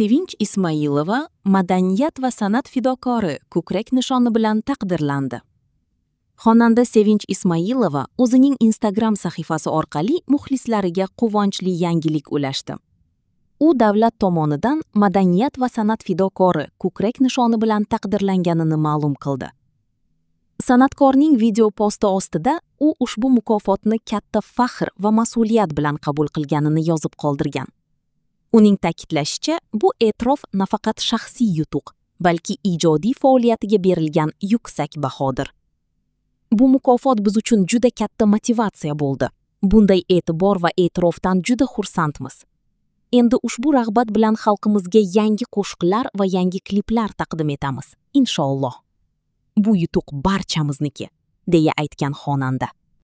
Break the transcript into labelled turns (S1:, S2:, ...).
S1: Sevinch Ismoilova "Madaniyat va san'at fidokori" ko'krak nishoni bilan taqdirlandi. Xonanda Sevinch Ismoilova o'zining Instagram sahifasi orqali muxlislariga quvonchli yangilik ulashdi. U davlat tomonidan "Madaniyat va san'at fidokori" ko'krak nishoni bilan taqdirlanganini ma'lum qildi. San'atkorning video posti ostida u ushbu mukofotni katta faxr va mas'uliyat bilan qabul qilganini yozib qoldirgan. Uning ta'kidlashicha, bu e'tirof nafaqat shaxsiy yutuq, balki ijodiy faoliyatiga berilgan yuksak bahodir. "Bu mukofot biz uchun juda katta motivatsiya bo'ldi. Bunday e'tibor va e'tirofdan juda xursandmiz. Endi ushbu rag'bat bilan xalqimizga yangi qo'shiqlar va yangi kliplar taqdim etamiz, inshaalloh. Bu yutuq barchamizniki", deya aytgan xonanda.